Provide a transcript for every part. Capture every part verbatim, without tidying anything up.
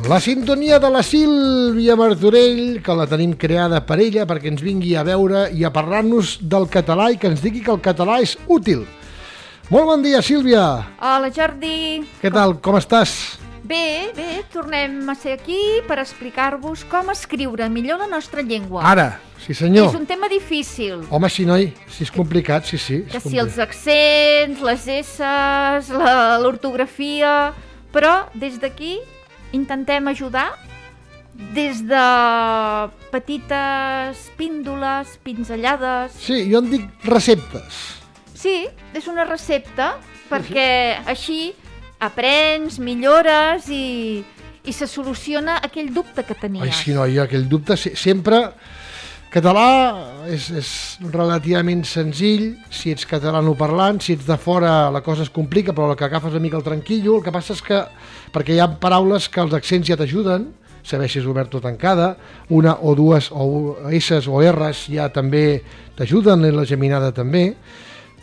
La sintonia de la Sílvia Martorell, que la tenim creada per ella perquè ens vingui a veure i a parlar-nos del català i que ens digui que el català és útil. Molt bon dia, Sílvia. Hola, Jordi. Què tal, com estàs? Bé, bé, tornem a ser aquí per explicar-vos com escriure millor la nostra llengua. Ara, sí senyor. És un tema difícil. Home, sí, noi, si és complicat, sí, sí. Que si els accents, les esses, la- l'ortografia... Però des d'aquí intentem ajudar des de petites píndoles, pinzellades... Sí, jo en dic receptes. Sí, és una recepta perquè així aprens, millores i, i se soluciona aquell dubte que tenies. Ai, sí, noi, aquell dubte se- sempre... Català és, és relativament senzill, si ets catalanoparlant, si ets de fora la cosa es complica, però el que agafes una mica el tranquillo, el que passa és que, perquè hi ha paraules que els accents ja t'ajuden, saber si és obert o tancada, una o dues o S's o R's ja també t'ajuden, i la geminada també,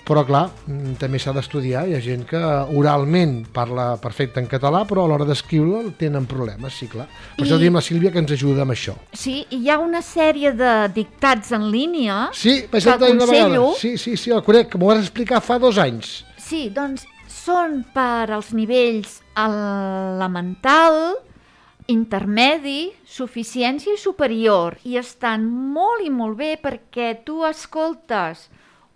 però clar, mm, també s'ha d'estudiar, hi ha gent que oralment parla perfecte en català, però a l'hora d'escriure tenen problemes, sí, clar. Per I- això diem la Sílvia que ens ajuda amb això. Sí, i hi ha una sèrie de dictats en línia Sí, vaig que sentir una vegada. aconsello. Sí, sí, sí, el conec, que m'ho vas explicar fa dos anys. Sí, doncs són per als nivells elemental, intermedi, suficiència i superior. I estan molt i molt bé perquè tu escoltes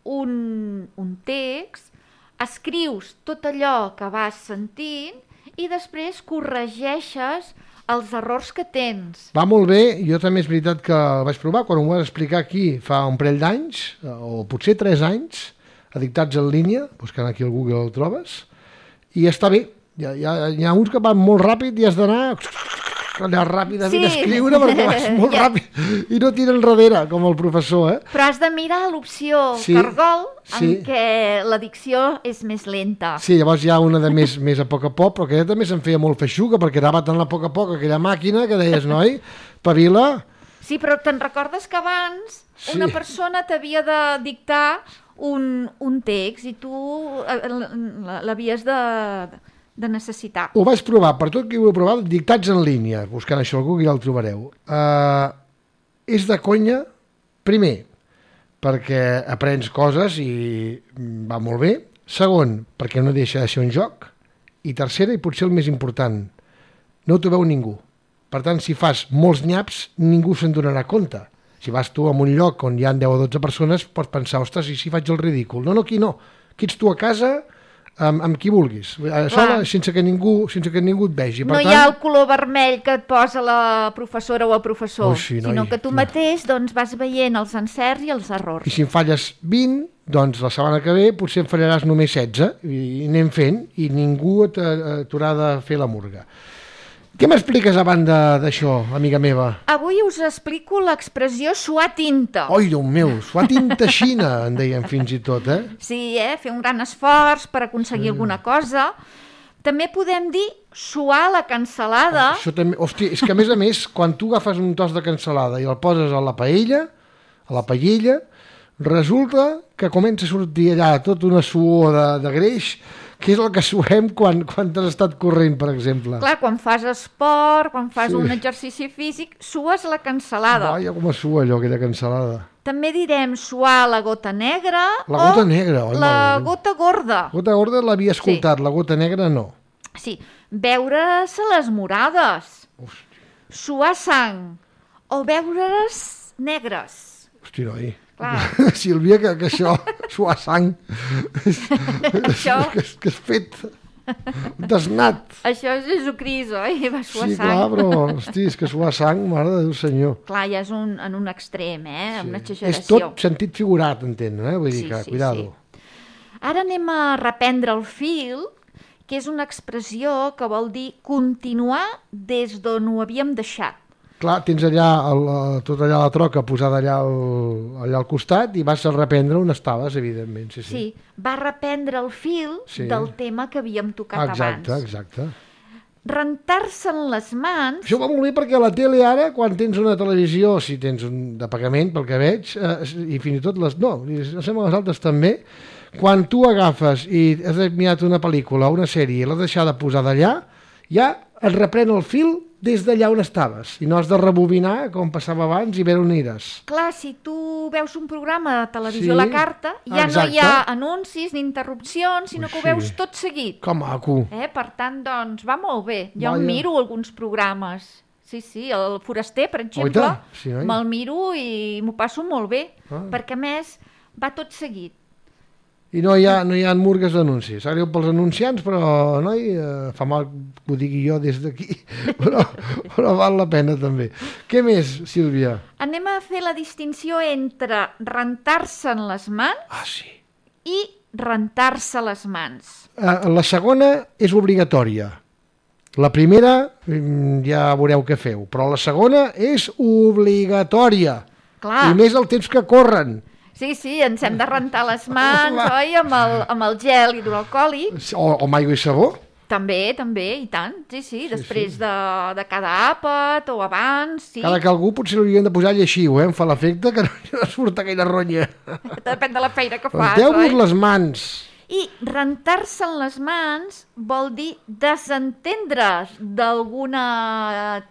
un, un text, escrius tot allò que vas sentint i després corregeixes els errors que tens. Va molt bé, jo també és veritat que el vaig provar, quan ho vas explicar aquí fa un parell d'anys, o potser tres anys, edictats en línia, buscant aquí al Google el trobes, i està bé. Hi ha, hi ha, hi ha uns que van molt ràpid i has d'anar allà ràpidament Sí. a escriure perquè vas molt Ja. ràpid i no tira enrere, com el professor, eh? Però has de mirar l'opció Sí, cargol en sí. què la dicció és més lenta. Sí, llavors hi ha una de més, més a poc a poc, però aquella també se'n feia molt feixuga, perquè anava tan a poc a poc aquella màquina que deies, noi, pavila. Sí, però te'n recordes que abans Sí. una persona t'havia de dictar un, un text i tu eh, l- l'havies de, de necessitar. Ho vaig provar, per tot que ho he provat, dictats en línia, buscant això al Google ja el trobareu. Uh, és de conya, primer, perquè aprens coses i mm, va molt bé. Segon, perquè no deixa de ser un joc. I tercera, i potser el més important, no t'ho veu ningú. Per tant, si fas molts nyaps, ningú se'n donarà compte. Si vas tu a un lloc on hi ha deu o dotze persones, pots pensar, ostres, i si faig el ridícul? No, no, aquí no. Aquí ets tu a casa, amb, amb qui vulguis, a sola, sense que ningú, sense que ningú et vegi. Per No tant, hi ha el color vermell que et posa la professora o el professor, Oh, sí, noi, sinó que tu no. mateix doncs, vas veient els encerts i els errors. I si en falles vint, doncs la setmana que ve potser en fallaràs només setze, i, i anem fent, i ningú et- eh, t'haurà de fer la murga. Què m'expliques a banda d'això, amiga meva? Avui us explico l'expressió suar tinta. Oi, Déu meu, suar tinta xina, en deien fins i tot, eh? Sí, eh? Fer un gran esforç per aconseguir Sí. alguna cosa. També podem dir suar la cansalada. Això també, hòstia, és que a més a més, quan tu agafes un tos de cansalada i el poses a la paella, a la paella, resulta que comença a sortir allà tota una suor de, de greix, que és el que suem quan, quan t'has estat corrent, per exemple. Clar, quan fas esport, quan fas Sí. un exercici físic, sues la cansalada. Vaja, com es sua allò, aquella cansalada. També direm suar la gota negra La gota o negra, oi, la mare meva. gota gorda. Gota gorda l'havia escoltat, la gota negra no. Sí, veure-se les morades, suar sang o veure-les negres. Hosti, noi. Clar. Sílvia, que, que això, suar sang, és, Això- que, és, que és fet desnat. Això és Jesucrist, oi? Va suar Sí, sang. clar, però, hosti, és que suar sang, mare de Déu senyor. Clar, ja és un, en un extrem, eh? Sí. Una És exageració. tot sentit figurat, entén, eh? Vull dir Sí, que, sí, cuidado. Ara anem a reprendre el fil, que és una expressió que vol dir continuar des d'on ho havíem deixat. Clar, tens allà el, el- tot allà la troca posada allà al, allà al costat i vas a reprendre on estaves, evidentment. Sí, sí. Sí, va reprendre el fil Sí. del tema que havíem tocat Exacte, abans. exacte. Rentar-se'n les mans... Això va molt bé perquè a la tele ara, quan tens una televisió, si tens un de pagament, pel que veig, eh, i fins i tot les... No, i sembla les altres també, quan tu agafes i has mirat una pel·lícula o una sèrie i l'has deixat de posar d'allà, ja et reprèn el fil des d'allà on estaves i no has de rebobinar com passava abans i veure on eres. Clar, si tu veus un programa de televisió Sí, a la carta, ja exacte. no hi ha anuncis ni interrupcions, sinó Ui, que ho sí. veus tot seguit. Que maco. Eh? Per tant, doncs, va molt bé. Jo Vaja. em miro alguns programes. Sí, sí, el Foraster, per exemple, Oita, sí, noi. me'l miro i m'ho passo molt bé, Ah. perquè a més va tot seguit. I no hi ha, no hi ha murgues d'anuncis. Sap greu pels anunciants, però noi, eh, fa mal que ho digui jo des d'aquí, però, però val la pena també. Què més, Sílvia? Anem a fer la distinció entre rentar-se'n les mans Ah, sí. i rentar-se les mans. Eh, la segona és obligatòria. La primera mm, ja veureu què feu, però la segona és obligatòria. Clar. I més el temps que corren. Sí, sí, ens hem de rentar les mans, Home. oi, amb el, amb el gel hidroalcohòlic. O, o amb aigua i sabó. També, també, i tant. Sí, sí, després sí. De, de cada àpat o abans, sí. Cada que algú potser l'haurien de posar lleixiu, eh? Em fa l'efecte que no, no surt aquella ronya. Depèn de la feina que fas, Renteu-vos oi? les mans. I rentar-se'n les mans vol dir desentendre's d'algun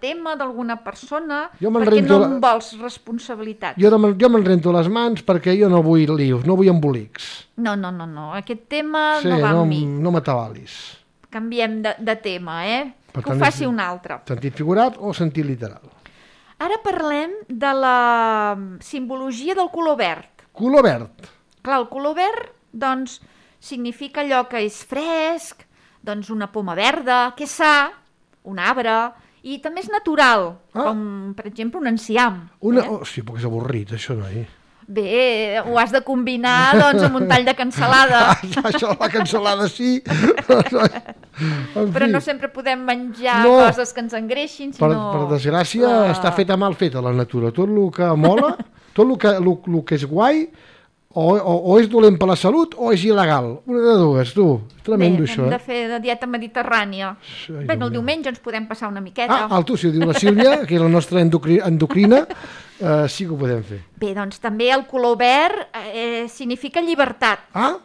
tema, d'alguna persona, Jo me'n perquè rento no la- en vols responsabilitat. Jo, no me'n- jo me'n rento les mans perquè jo no vull lius, no vull embolics. No, no, no, no, aquest tema Sí, no va no, amb mi. no m'atabalis. Canviem de, de tema, eh? Per Que ho tant, faci és- un altre. Sentit figurat o sentit literal. Ara parlem de la simbologia del color verd. Color verd. Clar, el color verd, doncs, significa allò que és fresc, doncs una poma verda, que és sa, un arbre, i també és natural, Ah. com, per exemple, un enciam. Una... Eh? Oh, sí, perquè és avorrit, això, noi. Bé, ho has de combinar, doncs, amb un tall de cansalada. Això, la cansalada sí. En Però fi, no sempre podem menjar No. coses que ens engreixin, per, sinó... per desgràcia, la- està feta mal feta la natura. Tot el que mola, tot el que, el, el que és guai, o, o, o és dolent per la salut o és il·legal. Una de dues, tu. Tremendo, Bé, això. hem Eh? de fer de dieta mediterrània. Ai, Bé, Déu el meu. diumenge ens podem passar una miqueta. Ah, el tu, si ho diu la Sílvia, que és la nostra endocri, endocrina, eh, sí que ho podem fer. Bé, doncs també el color verd eh, significa llibertat, Ah,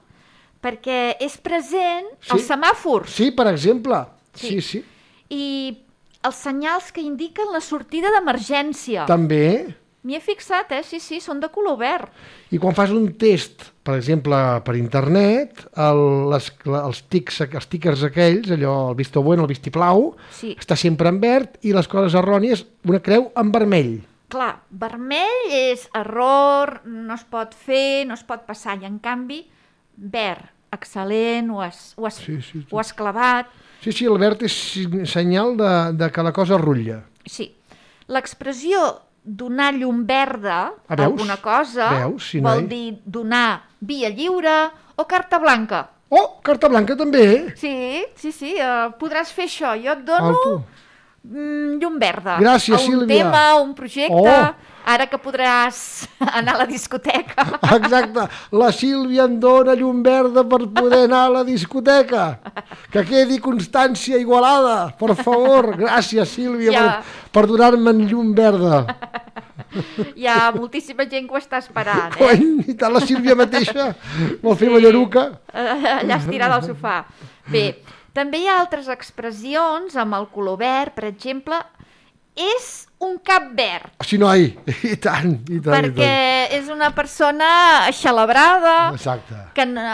perquè és present Sí. als semàfors sí, per exemple. Sí, Sí. sí. i els senyals que indiquen la sortida d'emergència. També. M'hi he fixat, eh? Sí, sí, són de color verd. I quan fas un test, per exemple, per internet, el, les, els, tics, els tickers aquells, allò, el visto bueno, el vistiplau, Sí. està sempre en verd i les coses errònies, una creu en vermell. Clar, vermell és error, no es pot fer, no es pot passar, i en canvi, verd, excel·lent, ho has, ho has, Sí, sí, ho has clavat. Sí, sí, el verd és si- senyal de, de que la cosa rutlla. Sí. L'expressió donar llum verda Ah, a veus? alguna cosa Veus, sí, vol noi. dir donar via lliure o carta blanca. Oh, carta blanca també. Sí, sí, sí, uh, podràs fer això. Jo et Ah, dono tu. mm, llum verda. Gràcies, a un Sílvia. tema, un projecte, Oh. ara que podràs anar a la discoteca. Exacte, la Sílvia em dona llum verda per poder anar a la discoteca. Que quedi constància igualada, per favor. Gràcies, Sílvia, Ja. per, per donar-me llum verda. Hi ha moltíssima gent que ho està esperant, eh? Cony, i tant la Sílvia mateixa vol fer ballaruca. Eh, allà estirada al sofà. Bé, també hi ha altres expressions amb el color verd, per exemple, és un cap verd, Sí, noi, i tant, i tant, i perquè és una persona xalabrada, tant. Exacte. que no,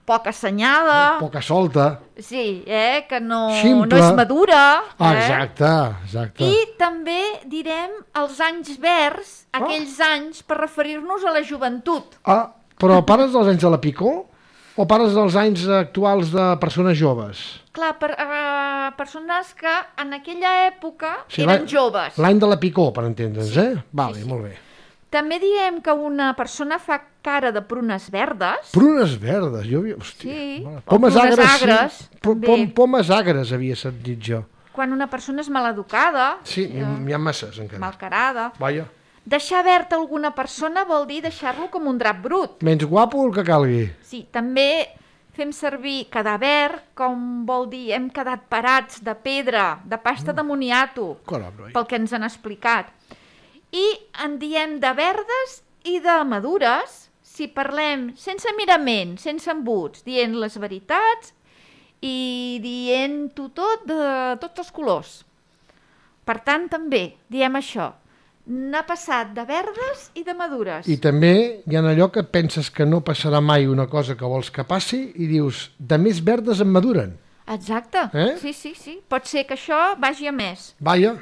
poc assenyada, Poca solta. sí, eh, que no, Ximple. no és madura. Ah, eh? exacte, exacte. I també direm els anys verds, aquells anys per referir-nos a la joventut. Ah, però pares dels anys de la Picó o pares dels anys actuals de persones joves? Clar, per, uh, persones que en aquella època Sí, eren l'any- joves. L'any de la Picó, per entendre'ns, Sí, eh? Vale, sí, sí. molt bé. També diem que una persona fa cara de prunes verdes. Prunes verdes, jo havia... Hòstia, Sí, mare. o Pomes prunes agres, agres, sí. Pom, també. pom, pomes agres havia sentit jo. Quan una persona és maleducada, Sí, n'hi ha masses encara. malcarada. Vaja. Deixar verd alguna persona vol dir deixar-lo com un drap brut. Menys guapo el que calgui. Sí, també fem servir quedar verd, com vol dir hem quedat parats de pedra, de pasta Mm. de moniato, Caram, noi. pel que ens han explicat. I en diem de verdes i de madures si parlem sense mirament, sense embuts, dient les veritats i dient-ho tot de tots els colors. Per tant, també diem això. N'ha passat de verdes i de madures. I també hi ha allò que penses que no passarà mai una cosa que vols que passi i dius, de més verdes en maduren. Exacte, eh? sí, sí, sí. Pot ser que això vagi a més. Vaja.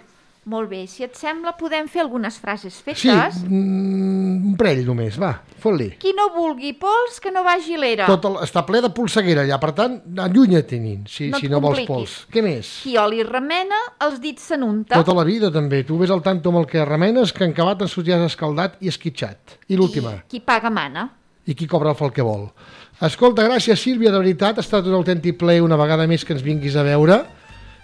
Molt bé, si et sembla podem fer algunes frases fetes. Sí, mm, un parell només, va, fot-li. Qui no vulgui pols, que no vagi a l'era. Tot el, està ple de polseguera allà, per tant, allunya't-te'n, si, no si no vols compliquis. pols. Què més? Qui oli remena, els dits s'anunta. Tota la vida, també. Tu ves al tanto amb el que remenes, que en acabat en sortiràs escaldat i esquitxat. I l'última. Qui paga mana. I qui cobra el que vol. Escolta, gràcies, Sílvia, de veritat. Ha estat un autèntic plaer una vegada més que ens vinguis a veure.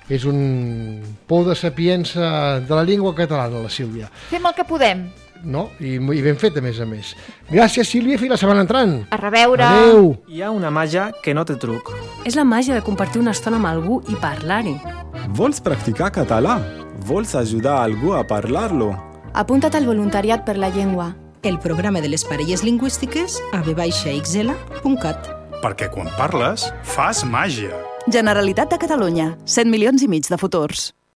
És un pou de sapiença de la llengua catalana, la Sílvia. Fem el que podem. No? I, i ben fet, a més a més. Gràcies, Sílvia, fins la setmana entrant. A reveure. Adéu. Hi ha una màgia que no té truc. És la màgia de compartir una estona amb algú i parlar-hi. Vols practicar català? Vols ajudar algú a parlar-lo? Apunta't al voluntariat per la llengua. El programa de les parelles lingüístiques a v baixa x l punt cat. Perquè quan parles, fas màgia. Generalitat de Catalunya. set milions i mig de futurs.